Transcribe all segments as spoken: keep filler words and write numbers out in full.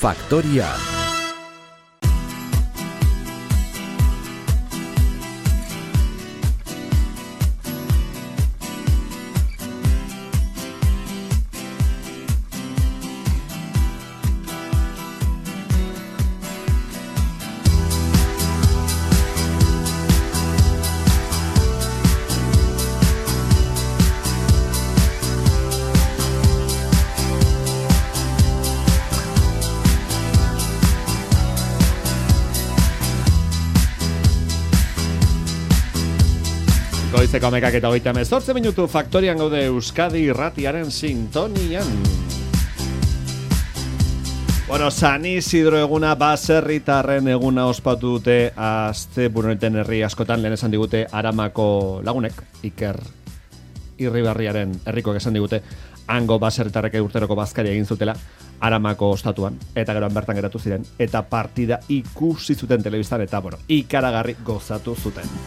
Faktoria. Goizeko amekak eta hogeita hemezortzi minutu Faktorian gaude Euskadi irratiaren sintonian. Bueno, San Isidro eguna baserritarren eguna ospatu dute asteburunetan herri askotan, lehen esan digute Aramako lagunek, Iker Irribarriaren herrikoek esan digute, hango baserritarrek urteroko bazkaria egin zutela Aramako ostatuan, eta geroan bertan geratu ziren, eta partida ikusi zuten telebistan, eta bueno, ikaragarri gozatu zuten.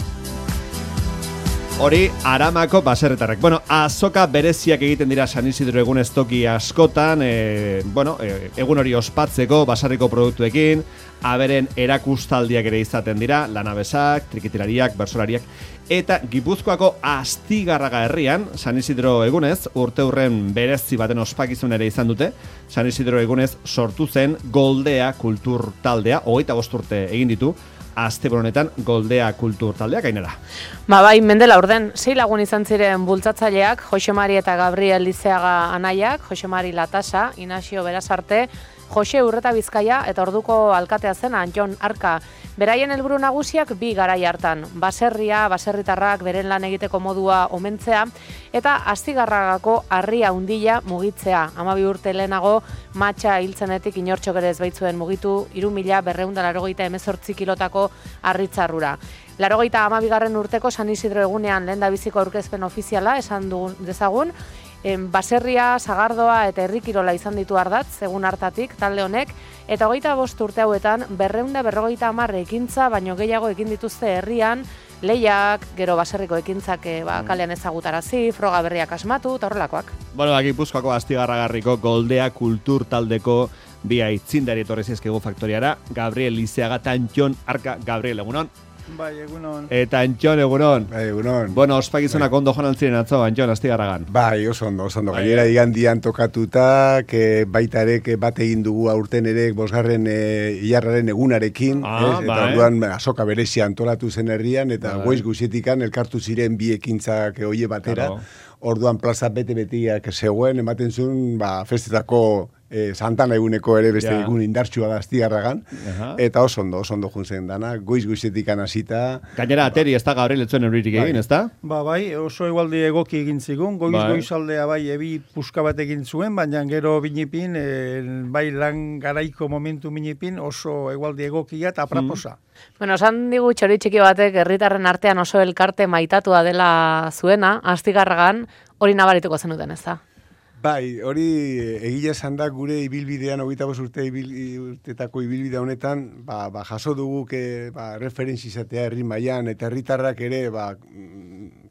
Hori, Aramako baserritarrek. Bueno, azoka bereziak egiten dira San Isidro egun estoki askotan, e, bueno, e, egun hori ospatzeko baserriko produktuekin, aberen erakustaldiak ere izaten dira, lanabesak, trikitilariak, bersolariak, eta Gipuzkoako Astigarraga herrian, San Isidro egunez, urte hurren berezi baten ospakizun ere izan dute, San Isidro egunez sortu zen Goldea kultur taldea, hogeita bost urte egin ditu, Aste honetan Goldea kultur taldeak gainera. Ba bai, mendela orden, sei lagun izan ziren bultzatzaileak, Jose Mari eta Gabriel Lizeaga anaiak, Jose Mari Latasa, Inazio Berazarte, Jose Urreta Bizkaia eta orduko alkatea zen Anton Arka. Beraien helburu nagusiak bi garai hartan, baserria, baserritarrak beren lan egiteko modua omentzea eta Astigarragako harria handia mugitzea. hamabi urte lehenago matxa hiltzenetik inortxok ere ez baitzuen mugitu hiru mila berrehun eta laurogeita hemezortzi kilotako harritzarrura. Laurogeita hamabigarren urteko San Isidro egunean lehendabiziko aurkezpen ofiziala esan dugun dezagun, baserria, sagardoa eta herrikirola izan ditu ardatz, egun hartatik, talde honek, eta hogeita bost urte hauetan, berreunda berrogeita hamar ekintza, baino gehiago ekin dituzte herrian, lehiak, gero baserriko ekintzak ba, kalean ezagutarazi, froga berriak asmatu, eta horrelakoak. Bueno, Gipuzkoako Astigarragarriko Goldea kultur taldeko bi aitzindari etorri zizkigu Faktoriara, Gabriel Lizeaga eta Anton Arka. Gabriel, egunon? Bai, egunon. Eta Antxon, egunon. Bai, egunon. Bueno, ospakizunak bai. Ondo joan altziren atzo, Antxon, Astigarragan. Bai, oso ondo, oso ondo. Gainera igandian tokatuta, que baita ere, que bat egin dugu aurten ere, bosgarren e, ilarraren egunarekin, ah, ez? Eta bai. orduan azoka berezia antolatu zen herrian, eta bai. goiz guztietikan elkartu ziren bi ekintzak oie batera. Claro. Orduan plaza bete-betiak zegoen, ematen zuen, ba, festetako E, Santana eguneko ere beste ja. egun indartsua da Astigarragan, uh-huh. Eta oso ondo, oso ondo juntzen dana, goiz-goizetik anasita. Gainera, ateri ez da Gabriel etzuen euririk egin, ez da? Ba, bai, oso egualdi egoki egin zigun, goiz-goizaldea bai ebi puska bat egin zuen, baina gero binipin, e, bai lan garaiko momentu binipin oso egualdi egokia eta apraposa. Mm. Bueno, esan digu txori txiki batek herritarren artean oso elkarte maitatua dela zuena, Astigarragan, hori nabarituko zenuten, ez da? Bai, hori egia esan da gure ibilbidean, hogeita bost urte ibil, urtetako ibilbide honetan, ba, ba, jaso dugu que, ba, referentzi izatea herri mailan eta herritarrak ere ba,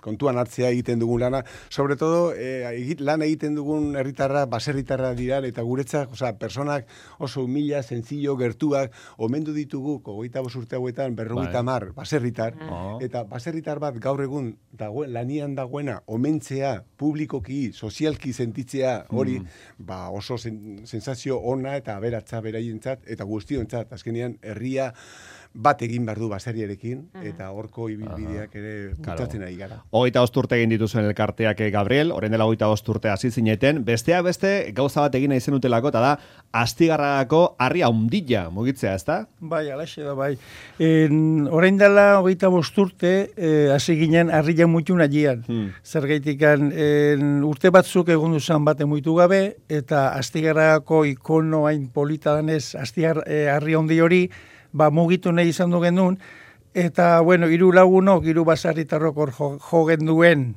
kontuan hartzea egiten dugun lana. Sobre todo, eh, lan egiten dugun herritarra, baserritarra dira, eta guretzak, osea, personak oso humila, sencillo, gertuak, omendu ditugu, hogeita bost urte hauetan, berrogeita hamar baserritar, oh. Eta baserritar bat gaur egun dagoen, lanian dagoena, omentzea, publikoki, sozialki sentitzea, hori, mm. ba, oso sen, sensazio ona eta aberatza beraientzat, eta guztiontzat, azkenean, herria bat egin behar du baserriarekin, eta horko ibilbideak ere bultzatzen ari gara. Hogeita bost urte egin dituzuen elkarteak, Gabriel, orain dela hogeita bost urte hasi zineten, besteak beste gauza bat egin nahi zenutelako, eta da Astigarragako harria hundilla mugitzea, ez da? Bai, alaxe da, bai. En, orain dela hogeita bost urte, eh, hasi ginen harria muitu nahian. Hmm. Zergaitikan, en, urte batzuk egon duzan bate muitu gabe, eta Astigarragako ikono hain polita danez, Astigar, eh, harria hundi hori, ba, mugitu nahi izan du genuen, eta, bueno, hiru lagunok, hiru basarritarrok hor jo, jo genduen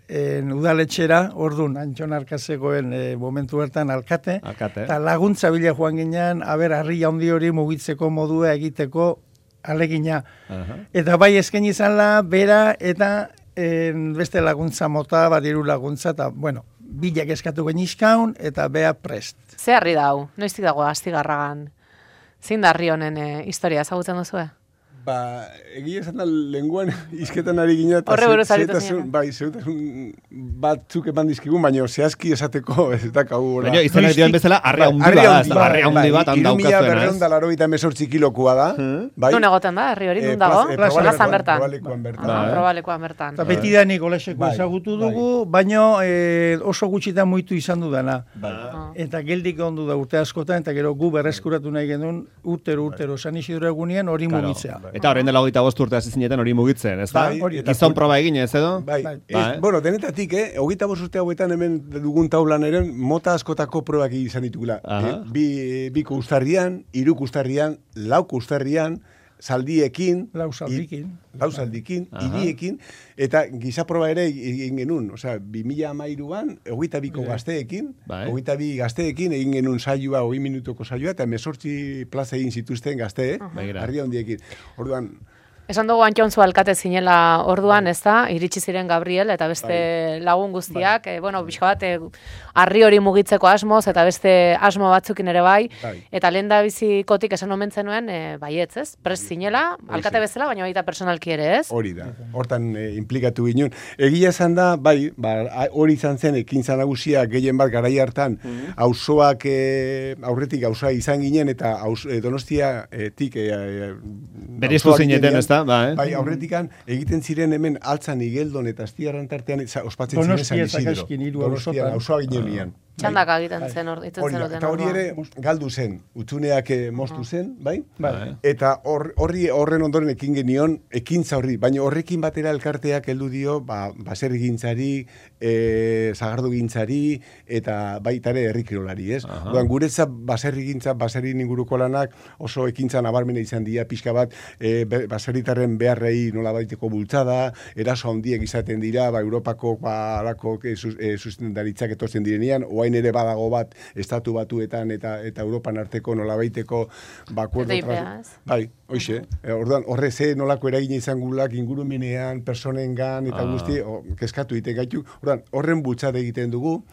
en, udaletxera, orduan, Antxon Arkazegoen e, momentu bertan alkate, alkate. Eta laguntza bila joan ginean, aber, harri handi hori mugitzeko modua egiteko alegina. Uh-huh. Eta bai esken izan la, bera, eta en, beste laguntza mota, bat hiru laguntza, eta, bueno, bilak eskatu genizkaun, eta bea prest. Ze harri dau, noiztik dago Astigarragan? Zein da harri honen e, historia ezagutzen duzu? Ba, egia esan da, lenguan izketan ari gina, eta Horre buruz aritu zehetasun, bai, zehetasun batzuk eman dizkigun, baina zehazki esateko ez da kau. Baina, izanak dioen bezala, arri handi bat, arri handi bat, handa Irumila aukazuena, berreun ez? da laro eta emezortzi kilokua da, bai? Nun egoten da, herri hori, Eh, nun dago? plaz- eh, Plazan bertan. Probalekuan bertan. Ah, Probalekuan bertan. Eta beti danik oleseko Bai, ezagutu bai. dugu, baino eh, oso gutxitan muitu izan dudana. Bai. Ah. Eta geldik ondu da urte askotan, eta gero gu berreskuratu nahi genuen urtero, urtero, San Isidro egunien hori Claro. mugitzea. Eta horrein dela hogeita bost urte hasi zineten hori mugitzen, ez da? Bai, hori, eta Gizon kun- proba egin ez edo? Bai, Bai. ez, Bai. bueno, denetatik, eh, hogeita bost urte hauetan hemen dugun taulan eren, mota askotako probak izan ditugula. Aha. Eh, bi, biko ustarrian, hiruk ustarrian, lauk ustarrian, zaldiekin, Lau zaldikin. i- lau zaldikin, Aha. hiriekin, eta gizaproba ere egin genuen, osea, bi mila hamairuan, hogeita biko gazteekin, Bai. hogeita bi gazteekin egin genuen saioa, hogei minutuko saioa, eta emezortzi plaza egin zituzten gazte, eh? Begira. Argia handiekin. Orduan, Esan dugu Antxontzu alkate zinela orduan, ez da, iritsi ziren Gabriel eta beste lagun guztiak, e, bueno, pixka bat, e, harri hori mugitzeko asmoz, eta beste asmo batzukin ere bai, Bai. eta lehen da bizikotik esan omen zenuen, e, baietz, ez? Prest zinela, alkate Horixe. bezala, baina baita personalki ere, ez? Hori da, hortan eh, implikatu ginen. Egia esan da, bai, ba, a- hori izan zen ekintza nagusia gehien bat garai hartan, auzoak eh, aurretik auzoa izan ginen, eta aus, eh, Donostiatik eh, eh, Bereiztu auzoak zineten, ginenean, ez da? Ba, eh? Bai, aurretikan egiten ziren hemen altzan igeldon eta astiarran tartean za- ospatzen ziren San Donostia, Isidro. Zakaixkin, hiru Donostian, auzotan. auzoa ginenean. Txandaka egiten zen, hor, itzen Hori da, zenuten eta hori orduan. ere galdu zen, utzuneak eh, moztu zen, bai? Bai. Eta hor- horri horren ondoren ekin genion, ekintza horri, baina horrekin batera elkarteak heldu dio, ba, baserrigintzari, e, zagardogintzari, eta baita ere herrikirolari, ez? Aha. Duan, guretzat baserrigintza, baserrin inguruko lanak oso ekintza nabarmena izan dira, pixka bat, e, be- baserritarren beharrei nola baiteko bultzada, eraso handiek izaten dira, ba, Europako, ba, alako e, sus- e, sustentaritzak etortzen direnean, oain ere badago bat, estatu batuetan eta eta Europan arteko nolabaiteko ba, acuerdo T T I P, trans- ez? Bai, hoxe. E, orduan, horre ze nolako eragina izan gulak ingurumenean, personengan eta Ah. guzti, o, kezkatu egiten gaitu. Orduan, horren bultzada egiten dugu,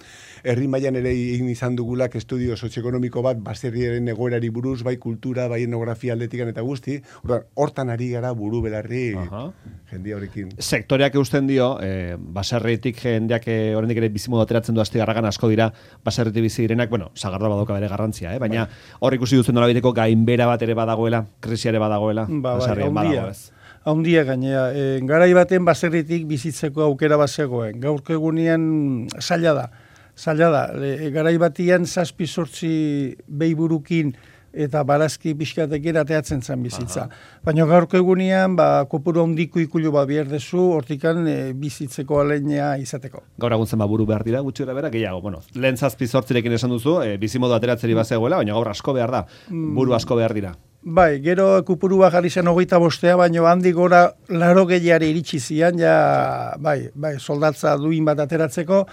herri mailan ere egin izan dugulak estudio sozioekonomiko bat, baserriaren egoerari buruz, bai kultura, bai etnografia aldetikan eta guzti. Orduan, hortan ari gara buru belarri Aha. jendia horrekin. Sektoreak eusten dio, eh, baserritik jendeak eh, oraindik ere bizimodu ateratzen du Astigarragan asko dira, baserritik bizi direnak, bueno, sagardoa badoka bere garrantzia, eh? baina hor ikusi duzen nolabiteko gainbera bat ere badagoela, krisia ere badagoela, Ba, bai, baserrian haundia. badago ez. Haundia gainea, e, garai baten baserritik bizitzeko aukera bazegoen. Gaurko egunean zaila da. Zaila da. E, garai batian zazpi sortzi behiburukin eta barazki pixkatekin ateatzen zen bizitza. Baina gaurko egunean, ba, kopuru handiko ikulu ba bierdezu, hortikan e, bizitzeko aleinea izateko. Gaur egun zenba buru behar dira, gutxi bera gehiago. Bueno, lehen zazpi zortzirekin esan duzu, e, bizimodu ateratzeri bazegoela, baina gaur asko behar da, buru asko behar dira. Bai, gero kupurua jarri zen hogeita bostea, baina handi gora laro gehiari iritsi zian, ja, bai, bai, soldatza duin bat ateratzeko,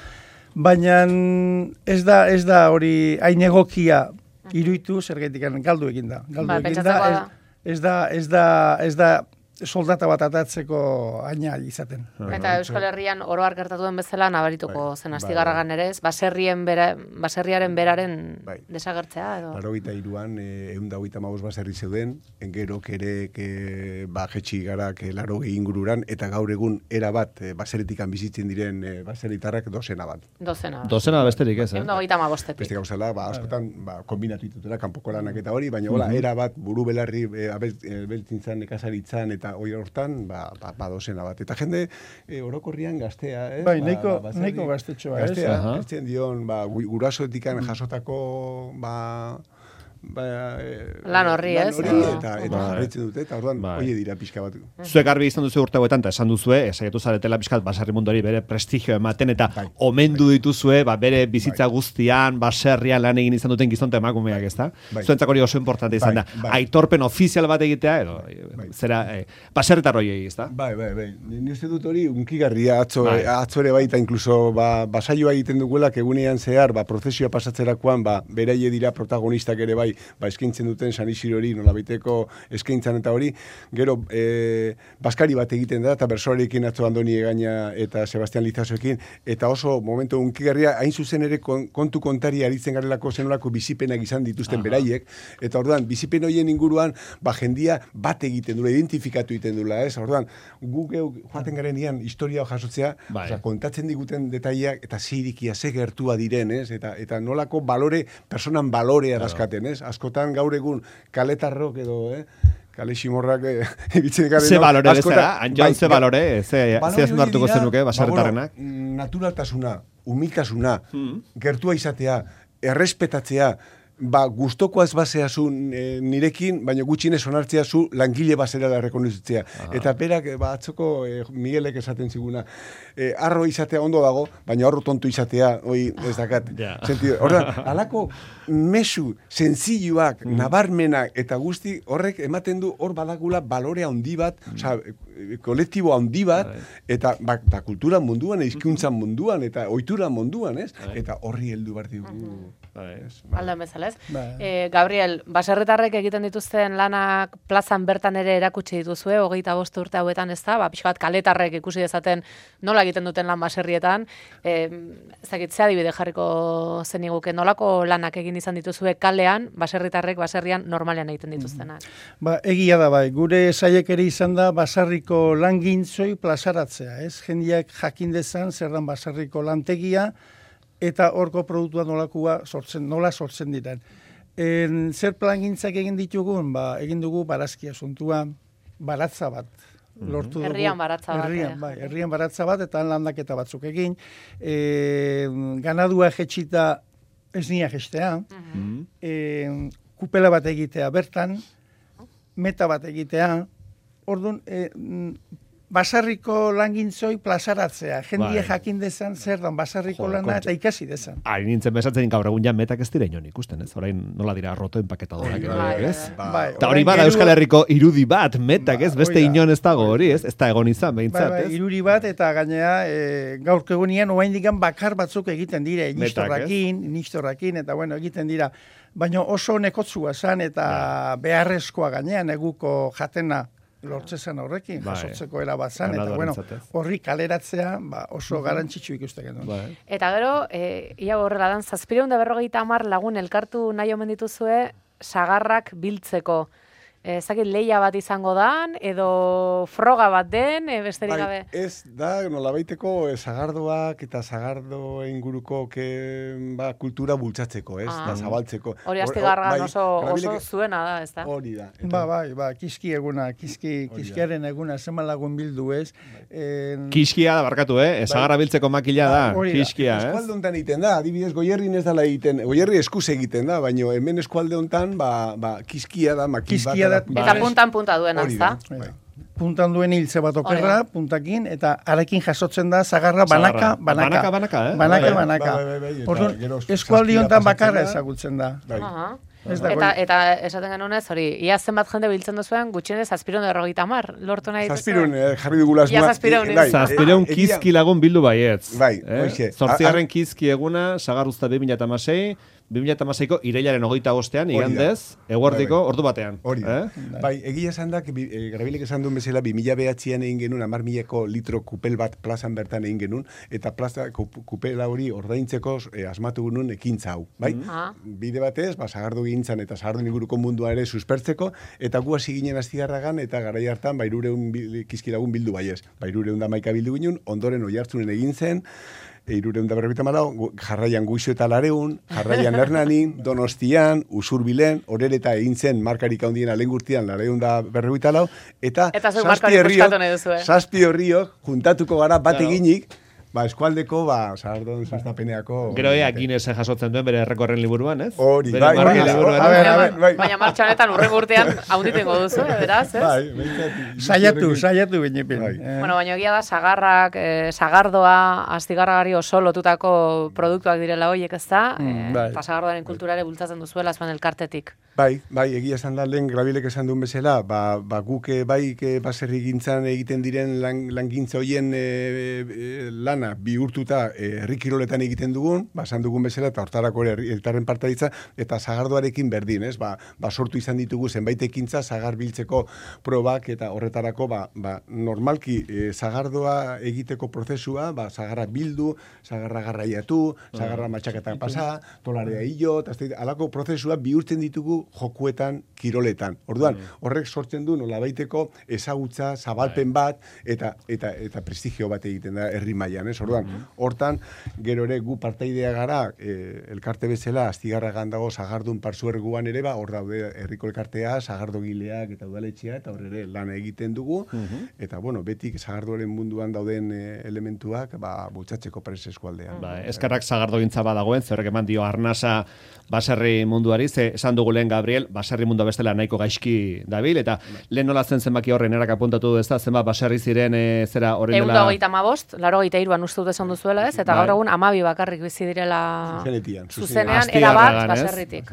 baina ez da, ez da hori hain egokia iruitu, zergaitik galdu egin da. Galdu Bai, egin pentsatzekoa ez, da. ez da, ez da, ez da soldata bat atatzeko aina izaten. Eta Euskal Herrian oroar gertatu den bezala nabarituko Bai, zen bai, Astigarragan ere, ez? Baserrien bera, baserriaren beraren Bai. desagertzea edo. Larogeita iruan, ehun da hogeita hamabost baserri zeuden, engerok ere ke, ba, jetxi gara ke, larogei ingururan, eta gaur egun era bat e, baserritikan bizitzen diren e, baserritarrak dozena bat. Dozena. Dozena besterik ez, eh? Ehun da hogeita hamabostetik. Beste gauzala, ba, askotan ba, kombinatu ditutela, kanpoko lanak eta hori, baina hola, era bat, buru belarri, e, abeltzintzan, nekazaritzan, eta hori hortan, ba, ba, ba dozena bat. Eta jende e, orokorrian gaztea, ez? Bai, Ba, nahiko- baserri- nahiko gaztetxoa, ez? Gaztea, Aha. ertzen dion, ba, gu- gurasoetikan jasotako, ba, ba, e, Lan horri, ez? hori, Edo- eta, eta Bai. jarraitzen dute, eta orduan, Bai. oie dira pixka bat. Zuek garbi izan duzu urte hauetan, eta esan duzue, esaiatu zaretela pixkat baserri munduari bere prestigio ematen, eta Bai. omendu dituzue, ba, bere bizitza guztian, baserrian lan egin izan duten gizonte emakumeak, ezta? Bai. Zuentzako hori oso importante izan Bai, da. bai. Aitorpen ofizial bat egitea, edo, Bai. zera, eh, baserritar hoiei, ezta? Bai, bai, bai. Ni uste dut hori unkigarria atzo, Bai. atzo ere baita, inkluso ba, basaioa egiten dugula, egunean zehar, ba, prozesioa pasatzerakoan, ba, beraie dira protagonistak ere bai, bai, ba, eskaintzen duten San Isidro hori, nolabaiteko eskaintzan eta hori, gero, e, baskari bat egiten da, eta bersoarekin atzo Andoni Egaña eta Sebastian Lizasoekin, eta oso momentu unkigarria, hain zuzen ere kontu kontari aritzen garelako zenolako bizipenak izan dituzten Aha. beraiek, eta orduan, bizipen horien inguruan, ba, jendia bat egiten dula, identifikatu egiten dula, ez? Orduan, guk joaten garen ian historia jasotzea, bai. Oza, kontatzen diguten detaileak, eta zirikia, ze gertua diren, ez? Eta, eta nolako balore, personan balorea dazkaten, ez? Askotan gaur egun kaletarrok edo, eh? Kale ximorrak ebitzen garen. Ze balore bezala, Anjon, ze balore, ze azun hartuko zenuke, baserritarrenak? Naturaltasuna, humiltasuna, gertua izatea, errespetatzea, ba, guztokoaz baseazu e, nirekin, baina gutxinez onartzea zu langile basera da rekonozitzea. Eta berak, ba, atzoko e, Miguelek esaten ziguna, e, arro izatea ondo dago, baina arro tontu izatea, oi, ez dakat. Yeah. Horren, alako mesu, senzilluak, mm. nabarmenak, eta guzti horrek ematen du hor badagula balore handi bat, mm. oza, kolektibo handi bat, eta ba, ba, kultura munduan, hizkuntzan munduan, eta ohitura munduan, ez? Eta horri heldu behar dugu. Aldan bezala, ez? E, Gabriel, baserritarrek egiten dituzten lanak plazan bertan ere erakutsi dituzue, hogeita bost urte hauetan ez da, ba, pixka bat kaletarrek ikusi dezaten nola egiten duten lan baserrietan, e, ezakit, ze adibide jarriko zeniguke, nolako lanak egin izan dituzue kalean, baserritarrek baserrian normalean egiten dituztenak? Ba, egia da bai, gure saiek ere izan da basarriko langintzoi plazaratzea, ez? Jendiak jakin dezan zer dan basarriko lantegia, eta horko produktua nolakua sortzen, nola sortzen diren. En, zer plangintzak egin ditugun? Ba, egin dugu barazkia asuntua, baratza bat. Lortu dugu. Herrian baratza bat. Herrian, bai, herrian baratza bat, eta landaketa batzuk egin. E, ganadua jetxita ez nia jestea. Uh-huh. e, kupela bat egitea bertan, meta bat egitea. Orduan, e, basarriko langintzoi plazaratzea. Jendia bai. Jakin dezan zer dan basarriko Joder, lana eta ikasi dezan. Hain nintzen besatzen gaur egun ja metak ez dira inon ikusten, ez? Orain nola dira roto enpaketadorak, bai, ez? Bai, eta hori bada Euskal Herriko irudi bat metak, ez? Beste inon ez dago hori, ez? Ez da egon izan, behintzat, bai, bai, irudi bat eta gainea e, gaurko egunean oraindik bakar batzuk egiten dira, inistorrakin, inistorrakin, eta bueno, egiten dira. Baina oso nekotzua zan eta ja. beharrezkoa gainean eguko jatena lortzezan horrekin, bai. Jasotzeko erabazan, eta bueno, horri kaleratzea ba, oso uh-huh. garantzitsu ikusten genuen. Bai. Eta gero, e, ia horrela dan, zazpireun da berrogeita hamar lagun elkartu nahi omen dituzue sagarrak biltzeko. Ezakit lehia bat izango dan, edo froga bat den, e, besterik gabe? Bai, ez da, nolabaiteko e, sagardoak eta sagardo inguruko ke, ba, kultura bultzatzeko, ez? Ah. Da, zabaltzeko. Hori astigargan bai, oso, oso zuena da, ez da? Hori da. Eta... Ba, bai, ba, kiski eguna, kiski, kiskiaren eguna, zeman lagun bildu, ez? En... Kiskia da, barkatu, eh? Sagarra biltzeko makila da, ba, kiskia, ez? Eskualde hontan egiten da, adibidez, Goierrin ez dala egiten, Goierri eskuz egiten da, baina hemen eskualde hontan, ba, ba, kiskia da, makil bat. Eta puntan punta duen, azta? Puntan duen hiltze bat okerra, puntakin, eta arekin jasotzen da zagarra banaka, banaka. Banaka, banaka, eh? Banaka, banaka. Orduan, eskualdi honetan bakarra ezagutzen da. Eta, eta esaten genuen ez, hori, ia zenbat jende biltzen duzuen, gutxienez zazpireun errogeita hamar, lortu nahi dituzu? Zazpireun, jarri dugula asma. Ia zazpireun. Zazpireun kizki lagun bildu baietz. Bai, hoxe. Zortzigarren kizki eguna, sagarruzta bi mila hamasei, bi mila hamaseiko irailaren hogeita bostean, igandez, eguerdiko, ordu batean. Hori da. Bai, egia esan da, Grabilek esan duen bezala, bi mila behatzean egin genuen, hamar milako litro kupel bat plazan bertan egin genuen, eta plaza kupela hori ordaintzeko asmatu genuen ekintza hau, bai? Bide batez, ba, sagardu gintzan eta sagardu inguruko mundua ere suspertzeko, eta gu hasi ginen astigarragan, eta garai hartan, ba, irureun kizkilagun bildu baiez. Ba, irureun da maika bildu ginen, ondoren oihartzunen egin zen, Hirureun da berrogeita hamalau, jarraian Guixo eta Lareun, jarraian Hernanin, Donostian, Usurbilen, Orereta egin zen markarik handien alengurtian Lareun da berrogeita lau, eta zazpi horriok juntatuko gara bat eginik, ba, eskualdeko, ba, sardon sustapeneako... Gero ea Guinness jasotzen duen bere errekorren liburuan, ez? Hori, bai, bai, bai. Baina martxan honetan urrengo urtean haunditengo duzu, beraz, ez? Bai, saiatu, saiatu binepin. Bueno, baina egia da, sagarrak, sagardoa, astigarragari oso lotutako produktuak direla horiek, ez da? Eta sagardoaren kulturare bultzatzen duzuela zuen elkartetik. Bai, bai, egia esan da, lehen Grabilek esan duen bezala, ba, ba guk bai baserri gintzan egiten diren lan, langintza hoien e, e, lana bihurtuta herri kiroletan egiten dugun, ba, esan dugun bezala, eta hortarako ere herritarren partaitza, eta sagardoarekin berdin, ez? Ba, ba sortu izan ditugu zenbait ekintza sagar biltzeko probak, eta horretarako, ba, ba normalki e, sagardoa egiteko prozesua, ba, sagarra bildu, sagarra garraiatu, sagarra matxaketan pasa, tolarea hilo, eta alako prozesua bihurtzen ditugu jokuetan, kiroletan. Orduan, horrek sortzen du nolabaiteko ezagutza, zabalpen bat, eta eta eta prestigio bat egiten da herri mailan, ez? Orduan, hortan, gero ere gu partaidea gara, e, elkarte bezala, Astigarragan dago sagardun partzuerguan ere, ba, hor daude herriko elkartea, sagardogileak eta udaletxea, eta hor ere lan egiten dugu, eta, bueno, betik sagardoaren munduan dauden e, elementuak, ba, bultzatzeko prez eskualdean. Ba, eskarrak sagardogintza badagoen, zerrek eman dio arnasa baserri munduari, ze esan dugu lehen Gabriel, baserri mundua bestela nahiko gaizki dabil, eta lehen nola zen zenbaki horren erak apuntatu du ez da, zenbat baserri ziren e, zera horren dela... Egun hogeita hamabost, laro hogeita iruan uste dut esan duzuela ez, eta gaur egun amabi bakarrik bizi direla zuzenean, erabat baserritik.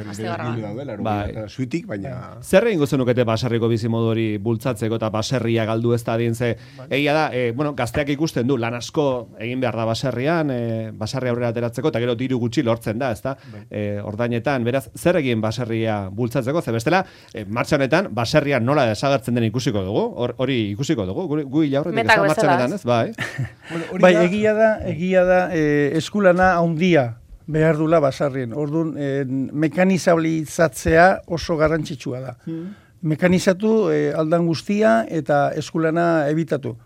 Zuitik, baina... Zer egin guzunukete baserriko bizimodu hori bultzatzeko eta baserria galdu ez da adien ze, egia da, e, bueno, gazteak ikusten du, lan asko egin behar da baserrian, e, baserri aurrera ateratzeko, eta gero diru gutxi lortzen da, ez da, e, ordainetan, beraz, zer egin baserria bultzatzeko, ze bestela, e, martxa honetan, baserria nola desagertzen den ikusiko dugu, hori ikusiko dugu, gu hila horretik ez da martxa honetan, ez? Bai, bai egia da, egia da, e, eskulana haundia behar dula basarrien. Orduan, e, mekanizabilizatzea oso garrantzitsua da. Hmm. Mekanizatu e, aldan guztia eta eskulana ebitatu.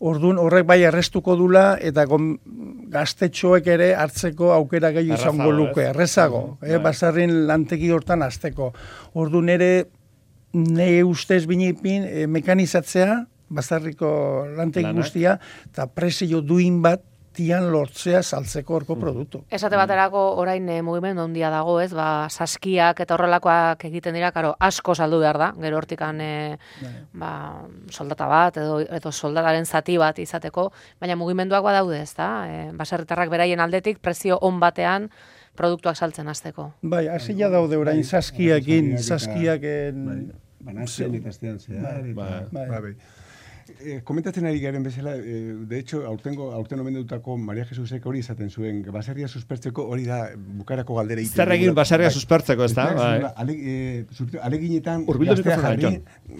Orduan horrek bai arrestuko dula eta gaztetxoek ere hartzeko aukera gehiago izango luke, errezago, eh, basarrin lantegi hortan hasteko. Orduan ere nahi ustez binipin eh, mekanizatzea, basarriko lantegi guztia, eta presio duin bat tian lortzea saltzeko horko produktu. Esate baterako orain e, mugimendu handia dago, ez? Ba, saskiak eta horrelakoak egiten dira, karo, asko saldu behar da. Gero hortikan e, ba, soldata bat edo edo soldataren zati bat izateko, baina mugimenduak badaude, ezta? E, baserritarrak beraien aldetik prezio on batean produktuak saltzen hasteko. Bai, hasia daude orain saskiakin, saskiaken banatzen eta astean zehar. Bai, bai. Eh, komentatzen ari garen bezala, eh, de hecho, aurtengo, aurten omendutako Maria Jesusek hori izaten zuen, baserria suspertzeko hori da bukarako galdera egiten. Zer egin baserria suspertzeko, ez da? Aleginetan jarri,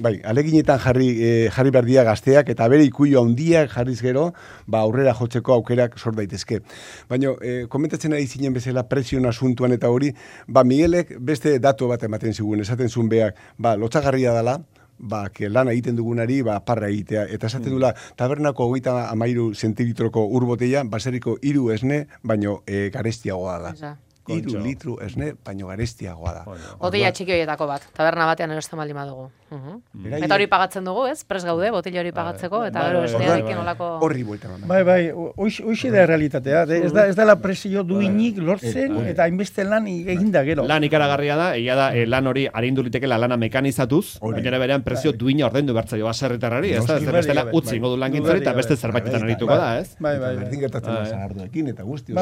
bai, aleginetan jarri, eh, jarri berdia gazteak, eta bere ikuio handiak jarriz gero, ba, aurrera jotzeko aukerak sor daitezke. Baina, eh, komentatzen ari zinen bezala presion asuntuan eta hori, ba, Miguelek beste datu bat ematen zigun, esaten zuen beak, ba, lotxagarria dela, ba, que lana egiten dugunari, ba, parra egitea. Eta esaten dula, tabernako hogeita hamairu zentilitroko urboteia, baserriko hiru esne, baino e, garestiagoa da. Hiru litru esne, baino garestiagoa da. Botila txiki horietako bat, taberna batean erosten baldin badugu. Uh-huh. Eta hori pagatzen dugu, ez? Prest gaude, botila hori pagatzeko, eta gero esnearekin olako... Horri buelta. Bai, bai, hoxe da realitatea. Ez da, ez da la presio duinik lortzen, eta hainbeste lan eginda gero. Lan ikaragarria da, egia da, lan hori arindu liteke la lana mekanizatuz, baina berean presio duina ordaindu bertzaio baserritarrari, ez da, ez bestela utzi ingo du langintzari, eta beste zerbaitetan arituko da, ez? Bai, bai, berdin gertatzen da sagardoekin, eta guzti.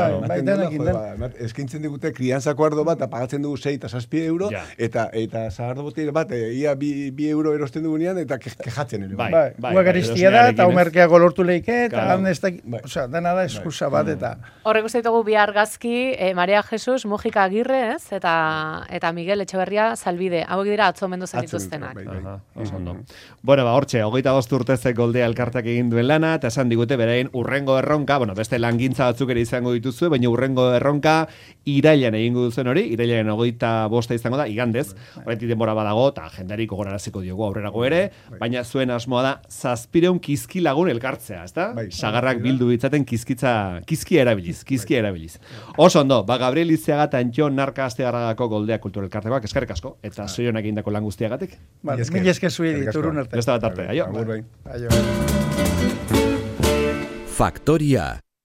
Eskaintzen digute kriantzako ardo bat, apagatzen dugu sei eta zazpi euro, eta sagardo botile bat, ia bi euro erosten dugunean, eta kejatzen ere. Bai, bai, garestia da, eta omerkeago lortu leike, eta han ez da, oza, dena da eskusa bat, eta... Horrek uste ditugu bi argazki, Maria Jesus, Mujika Agirre, ez, eta Miguel Etxeberria Salbide, hauek dira atzo mendu zenituztenak. Bueno, ba, hortxe, hogeita bost urtezek Goldea elkartak egin duen lana, eta esan digute berain urrengo erronka, bueno, beste langintza batzuk ere izango dituzue, baina urrengo erronka irailean egingo duzen hori, irailean hogeita bosta izango da, igandez, horretik denbora badago, eta jendarik gogoraraziko diogu aurrerago ere, baina zuen asmoa da, zazpireun kizki lagun elkartzea, ezta? Sagarrak bildu ditzaten kizkitza, kizkia erabiliz, kizkia erabiliz. Oso ondo, ba, Gabriel Iziaga eta Antxon Narka Astegarragako Goldea Kultura Elkartekoak, eskerrik asko, eta zoionak egindako lan guztiagatik. Mila esker zuedi, turun arte. Beste bat arte, aio. Aio. Faktoria.